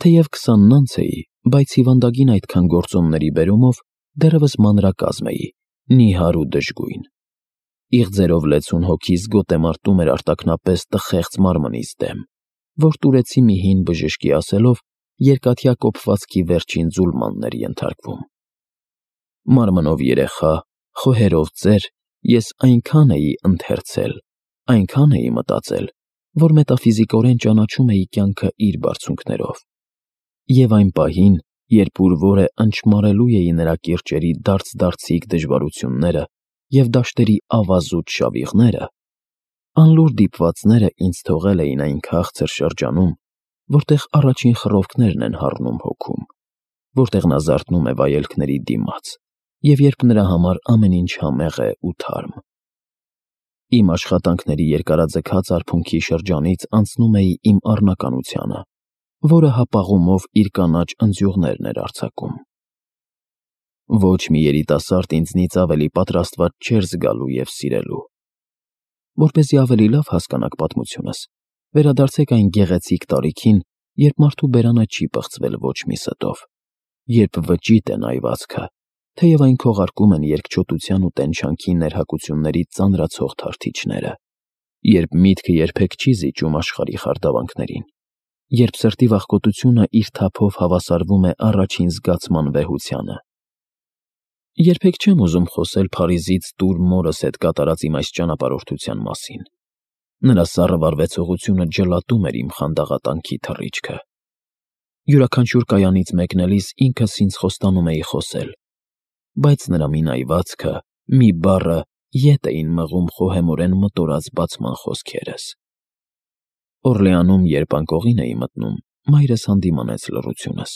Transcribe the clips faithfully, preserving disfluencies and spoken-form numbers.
Թեև քսանն անց էի, բայց հիվանդագին այդքան գործոնների բերումով դեռևս մանրակազմ էի, նիհար ու դժգույն։ Իղձերով լեցուն հոգիս գոտեմարտում էր արտաքնապես տխեղծ մարմնից դեմ, որ տուրեցի մի հին բժշկի ասելով երկաթյա կոփվածքի վերջին ձուլմանն էր ենթարկվում։ Մարմնով երեխա, խոհերով ծեր, ես այնքան էի ընթերցել, այնքան էի մտածել, որ մետաֆիզիկորեն ճանաչում էի կյանքը իր բարձունքներով։ Եվ այն պահին, երբ ուր որը ընչմարելու էի նրա կիրճերի դարձ-դարձիկ դժվարությունները և դաշտերի ավազուտ շավիղները, անլուր դիպվածները ինձ թողել էին այն քաղցր շրջանում, որտեղ առաջին խռովքներն են հառնում հոգում, որտեղ նա զարթնում է վայելքների դիմաց, և երբ նրա համար ամեն ինչ համեղ է ու թարմ։ Իմ աշխատանքների երկարաձգած արփունքի շրջանից անցնում էի իմ առնականությանը, որը հապաղումով իր կանաչ ընձյուղներն էր արձակում։ Ոչ մի երիտասարդ ինձնից ավելի պատրաստված չէր զգալու և սիրելու։ Որպեսզի ավելի լավ հասկանաք պատմությունս, վերադարձեք այն գեղեցիկ տարիքին, երբ մարդու բերանը չի պղծվել ոչ մի ստով, երբ վճիտ է նայվածքը, թեև այն քողարկում են երկչոտության ու տենչանքի ներհակությունների ծանրացող թարթիչները, երբ միտքը երբեք չի զիջում աշխարհի խարդավանքներին, երբ սրտի վախկոտությունը իր թափով հավասարվում է առաջին զգացման վեհությանը։ Երբեք չեմ ուզում խոսել Փարիզից տուր մորս հետ կատարած իմ այս ճանապարհորդության մասին։ Նրա սառը վարվեցողությունը ջլատում էր իմ խանդաղատանքի թռիչքը։ Յուրաքանչյուր կայանից մեկնելիս ինքս ինձ խոստանում էի խոսել, բայց նրա մի նայվածքը, մի բառը ետ էին մղում խոհեմորեն մտորած բացման խոսքերս։ Օրլեանում, երբ անկողին էի մտնում, մայրս հանդիմանեց լռությունս։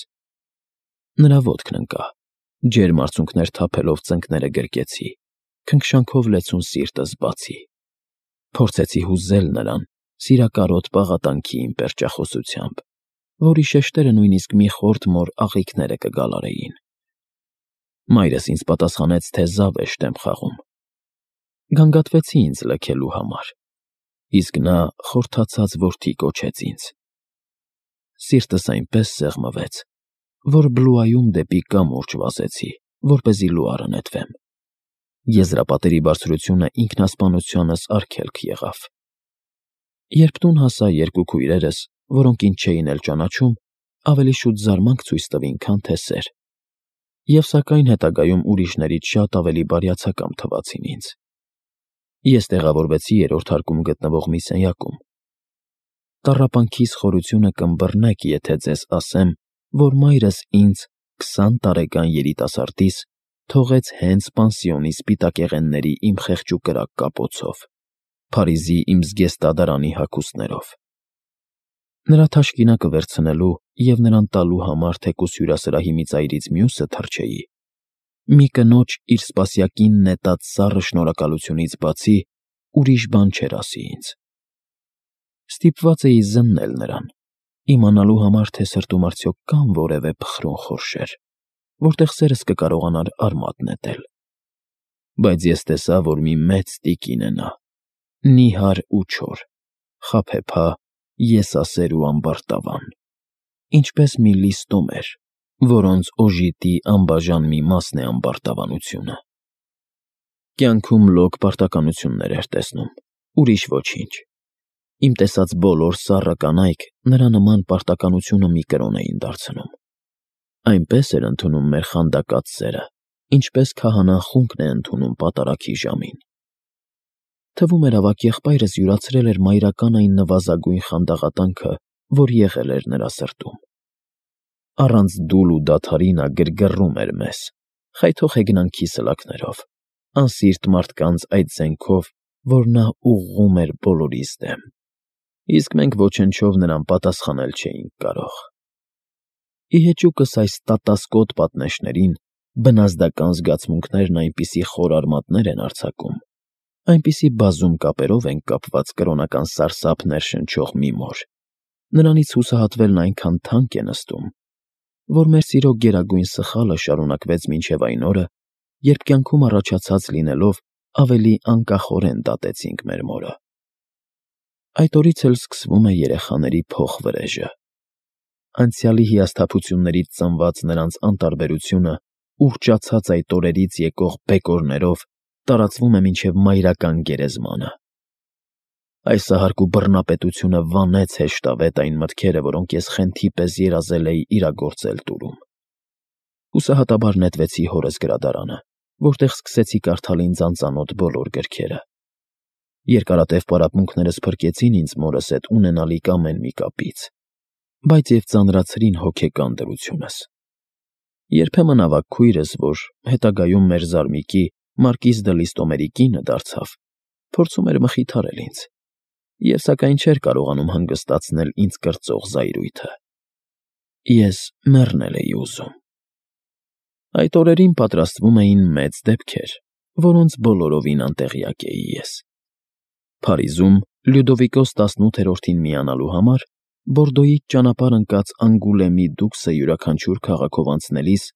Նրա ոտքն ընկա, ջերմ արցունքներ թափելով ծնկները գրկեցի, քնքշանքով լեցուն սիրտս բացի։ Փորձեցի հուզել նրան սիրակարոտ պաղատանքի իմ պերճախոսությամբ, որի շեշտերը նույնիսկ մի խորթ մոր աղիքները կգալարեին։ Մայրս ինձ պատասխանեց, թե զավեշտ եմ խաղում։ Գանգատվեցի ինձ լքելու համար, իսկ նա խորթացած որդի կոչեց ինձ։ Սիրտս այնպես սեղմվեց, որ Բլուայում դեպի կամուրջ վազեցի, որպեսզի լուարը նետվեմ։ Եզրապատերի բարձրությունը ինքնասպանությանս արգելք եղավ։ Երբ տուն հասա, երկու քույրերս, որոնք ինձ չէին էլ ճանաչում, ավելի շուտ զարմանք ցույց տվին, քան թե սեր, և սակայն հետագայում ուրիշներից շատ ավելի բարյացակամ թվացին ինձ։ Ես տեղավորվեցի երրորդ հարկում գտնվող մի սենյակում։ Տառապանքիս խորությունը կըմբռնեք, եթե ձեզ ասեմ, որ մայրս ինձ, քսան տարեկան երիտասարդիս, թողեց հենց պանսիոնի սպիտակեղենների իմ խեղճուկրակ կապոցով, Փարիզի իմ զգեստադարանի հագուստներով։ Նրա թաշկինակը վերցնելու և նրան տալու համար թեկուզ հյուրասրահի մի ծայրից մյուսը թռչեի, մի կնոջ իր սպասյակին նետած սառը շնորհակալությունից բացի ուրիշ բան չէր ասի ինձ։ Ստիպված էի զննել նրան, իմանալու համար, թե սրտում արդյոք կան որևէ փխրուն խորշեր, որտեղ սերս կկարողանար արմատ նետել։ Բայց ես տեսա, որ մի մեծ տիկին է նա, նիհար ու չոր, խաբեբա, եսասեր ու ամբարտավան, ինչպես մի լիստոմեր, որոնց օժիտի անբաժան մի մասն է ամբարտավանությունը։ Կյանքում լոկ պարտականություններ էր տեսնում, ուրիշ ոչինչ։ Իմ տեսած բոլոր սառը կանայք նրա նման պարտականությունը մի կրոն էին դարձնում։ Այնպես էր ընդունում մեր խանդակած սերը, ինչպես քահանան խունկն է ընդունում պատարագի ժամին։ Թվում էր ավագ եղբայրս յուրացրել էր մայրական այն նվազագույն խանդաղատանքը, որ եղել էր նրա սրտում։ Առանց դուլ ու դադարի նա գրգռում էր մեզ, խայթող հեգնանքի սլաքներով, անսիրտ մարդկանց այդ զենքով, որ նա ուղղում էր բոլորիս դեմ, իսկ մենք ոչնչով նրան պատասխանել չէինք կարող։ Ի հեճուկս այս տատասկոտ պատնեշներին բնազդական զգացմունքներն այնպիսի խոր արմատներ են արձակում, այնպիսի բազում կապերով ենք կապված կրոնական սարսափ ներշնչող մի մոր, նրանից հուսահատվելն այնքան թանկ է նստում, որ մեր սիրո գերագույն սխալը շարունակվեց մինչև այն օրը, երբ կյանքում առաջացած լինելով ավելի անկախորեն դատեցինք մեր մորը։ Այդ օրից էլ սկսվում է երեխաների փոխվրեժը։ անցյալի հիասթափություններից ծնված նրանց անտարբերությունը ուռճացած այդ օրերից եկող բեկորներով տարածվում է մինչև մայրական գերեզմանը։ Այս սահարկու բռնապետությունը վանեց հեշտավետ այն մտքերը, որոնք ես խենթի պես երազել էի իրագործել տուրում։ Հուսահատաբար նետվեցի հորս գրադարանը, որտեղ սկսեցի կարդալ ինձ անծանոթ բոլոր գրքերը։ Երկարատև պարապմունքներս փրկեցին ինձ մորս հետ ունենալիք ամեն մի կապից, բայց և ծանրացրին հոգեկան դրությունս։ Երբեմն ավագ քույրս, որ հետագայում մեր զարմիկի Մարկիզ դը Լիստոմերի կինը դարձավ, փորձում էր մխիթարել ինձ, և սակայն չէր կարողանում հանգստացնել ինձ կրծող զայրույթը։ Ես մեռնել էի ուզում։ Այդ օրերին պատրաստվում էին մեծ դեպքեր, որոնց բոլորովին անտեղյակ էի ես։ Փարիզում Լյուդովիկոս տասնութերորդին միանալու համար Բորդոյից ճանապարհ ընկած Անգուլեմի դուքսը յուրաքանչյուր քաղաքով անցնելիս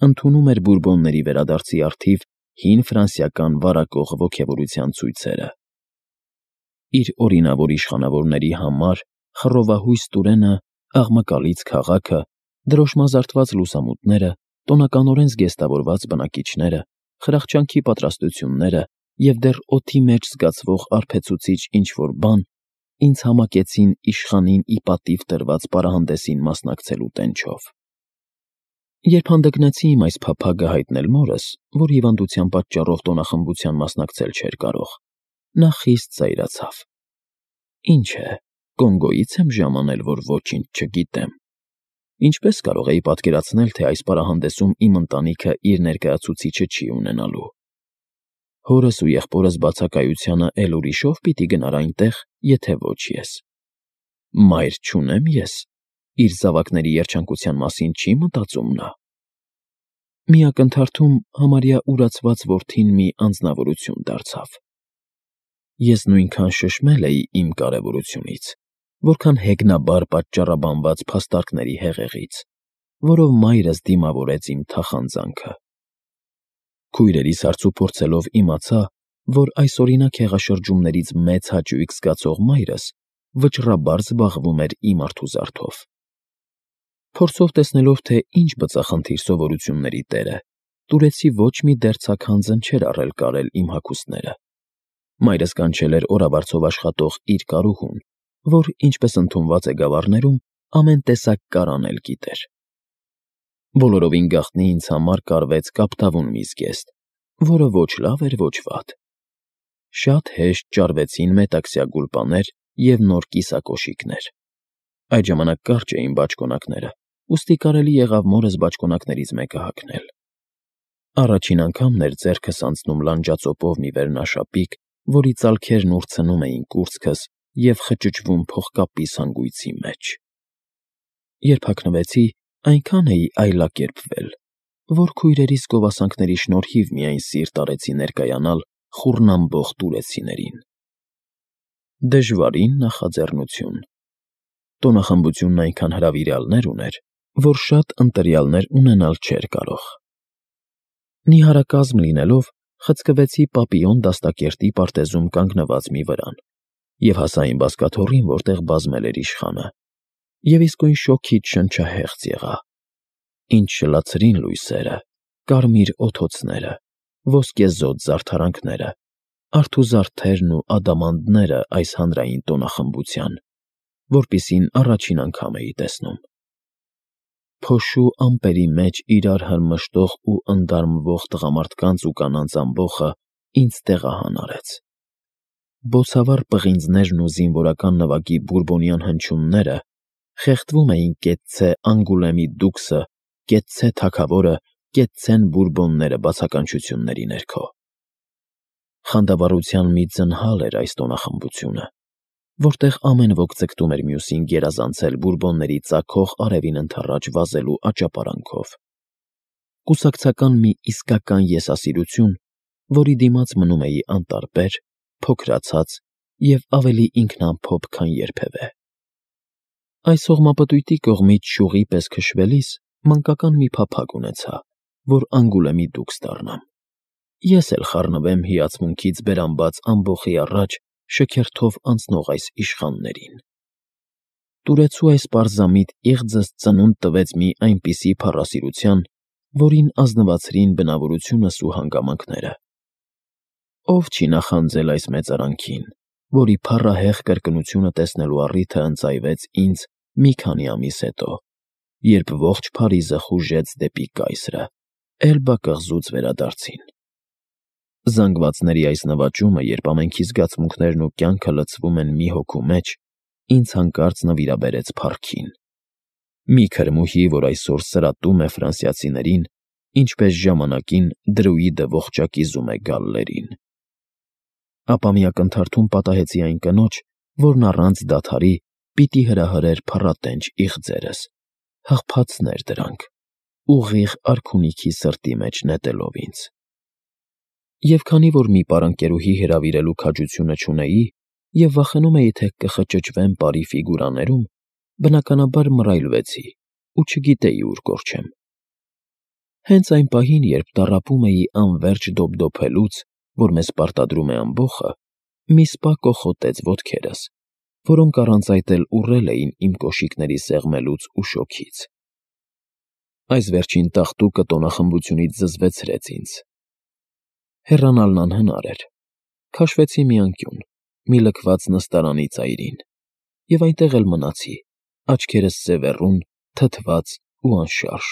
ընդունում էր բուրբոնների վերադարձի առթիվ հին ֆրանսիական վարակող ոգևորության ցույցերը։ Իր օրինավոր իշխանավորների համար խռովահույս տուրենը, աղմկալից քաղաքը, դրոշմազարդված լուսամուտները, տոնականորեն զգեստավորված բնակիչները, խրախճանքի պատրաստությունները և դեռ օդի մեջ զգացվող արբեցուցիչ ինչ-որ բան ինձ համակեցին իշխանին ի պատիվ տրված պարահանդեսին մասնակցելու տենչով։ Երբ հանդգնեցի իմ այս փափագը հայտնել մորս, որ հիվանդության պատճառով տոնախմբության մասնակցել չէր կարող, նա խիստ զայրացավ։ Ինչ է, Կոնգոյից եմ ժամանել, որ ոչինչ չգիտեմ։ Ինչպես կարող էի պատկերացնել, թե այս պարահանդեսում իմ ընտանիքը իր ներկայացուցիչը չի ունենալու։ Հորս ու եղբորս բացակայությանը էլ ուրիշով պիտի գնար այնտեղ, եթե ոչ ես։ Մայր չունեմ ես, իր զավակների երջանկության մասին չի մտածում նա։ Մի ակնթարթում համարյա ուրացված որդին մի անձնավորություն դարձավ։ Ես նույնքան շշմել էի իմ կարևորությունից, որքան հեգնաբար պատճառաբանված փաստարկների հեղեղից, որով մայրս դիմավորեց իմ թախանձանքը։ Քույրերիս հարցուփորձելով իմացա, որ այսօրինակ հեղաշրջումներից մեծ հաճույք զգացող մայրս վճռաբար զբաղվում էր իմ արթուզարդով։ Փորձով տեսնելով, թե ինչ բծախնդիր սովորությունների տեր է, տուրեցի ոչ մի դերձակ հանձն չէր առել կարել իմ հագուստները։ Մայրս կանչել էր օրավարձով աշխատող իր կարուհուն, որ, ինչպես ընդունված է գավառներում, ամեն տեսակ կարանել գիտեր։ Բոլորովին գաղտնի ինձ համար կարվեց կապտավուն մի զգեստ, որը ոչ լավ էր, ոչ վատ։ Շատ հեշտ ճարվեցին մետաքսյա գուլպաներ և նոր կիսակոշիկներ։ Այդ ժամանակ կարճ էին բաճկոնակները, ուստի կարելի եղավ մորս բաճկոնակներից մեկը հագնել։ Առաջին անգամն էր ձեռքս անցնում լանջածոպով մի վերնաշապիկ, որի ծալքերն ուրցնում էին կուրծքս և խճճվում փողկապիս հանգույցի մեջ։ Երբ հագնվեցի, այնքան էի այլակերպվել, որ քույրերիս գովասանքների շնորհիվ միայն սիրտ արեցի ներկայանալ խուռնամբող տուրեցիներին։ Դժվարին նախաձեռնություն։ Տոնախմբությունն այնքան հրավիրյալներ ուներ, որ շատ ընտրյալներ ունենալ չէր կարող։ Նիհարակազմ լինելով, խցկվեցի Պապիոն դաստակերտի պարտեզում կանգնված մի վրան և հասա իմ բազկաթոռին, որտեղ բազմել էր իշխանը, և իսկույն շոգից շնչահեղձ եղա։ Ինչ շլացրին լույսերը, կարմիր օդոցները, ոսկեզօծ զարդարանքները, արթուզարդերն ու ադամանդները այս հանրային տոնախմբության, որպիսին առաջին անգամ էի տեսնում։ Փոշու ամպերի մեջ իրար հրմշտող ու ընդարմվող տղամարդկանց ու կանանց ամբոխը ինձ տեղահան արեց։ Բոցավառ պղինձներն ու զինվորական նվագի բուրբոնյան հնչյունները խեղդվում էին կեցցե Անգուլեմի դուքսը, կեցցե թագավորը, կեցցեն բուրբոնները բացականչությունների ներքո։ Խանդավառության մի ձնհալ էր այս տոնախմբությունը, որտեղ ամեն ոք ձգտում էր մյուսին գերազանցել բուրբոնների ծագող արևին ընդառաջ վազելու աճապարանքով։ Կուսակցական մի իսկական եսասիրություն, որի դիմաց մնում էի անտարբեր, փոքրացած և ավելի ինքնամփոփ, քան երբևէ։ Այս հողմապտույտի կողմից շուղի պես քշվելիս մանկական մի փափագ ունեցա, որ Անգուլեմի դուքս դառնամ։ Ես էլ խառնվեմ հիացմունքից բերանբաց ամբոխի առաջ շքերթով անցնող այս իշխաններին։ Տուրեցու այս պարզամիտ իղձս ծնունդ տվեց մի այնպիսի փառասիրության, որին ազնվացրին բնավորությունս ու հանգամանքները։ Ով չի նախանձել այս մեծարանքին, որի փառահեղ կրկնությունը տեսնելու առիթը ընծայվեց ինձ մի քանի ամիս հետո, երբ ողջ Փարիզը խուժեց դեպի կայսրը, Էլբա կղզուց վերադարձին։ Զանգվածների այս նվաճումը, երբ ամենքի զգացմունքներն ու կյանքը լցվում են մի հոգու մեջ, ինձ հանկարծ նվիրաբերեց փառքին։ Մի քրմուհի, որ այսօր սրատում է ֆրանսիացիներին, ինչպես ժամանակին դրուիդը ողջակիզում է գալլերին։ Ապա մի ակնթարթում պատահեցի այն կնոջ, որն առանց դադարի պիտի հրահրեր փառատենչ իղձերս, հղփացներ դրանք, ուղիղ արքունիքի սրտի մեջ նետելով ինձ։ Եվ քանի որ մի պարանկերուհի հրավիրելու քաջությունը չունեի և վախենում էի, թե կխճճվեմ բարի ֆիգուրաներում, բնականաբար մռայլվեցի ու չգիտեի ուր կորչեմ։ Հենց այն պահին, երբ տառապում էի անվերջ դոփդոփելուց, որ մեզ պարտադրում է ամբոխը, մի սպա կոխոտեց ոտքերս, որոնք առանց այդ էլ ուռել էին իմ կոշիկների սեղմելուց ու շոգից։ Այս վերջին տաղտուկը տոնախմբությունից զզվեցրեց ինձ։ Հեռանալն անհնար էր։ Քաշվեցի մի անկյուն, մի լքված նստարանի ծայրին, և այնտեղ էլ մնացի, աչքերս սևեռուն, թթված ու անշարժ։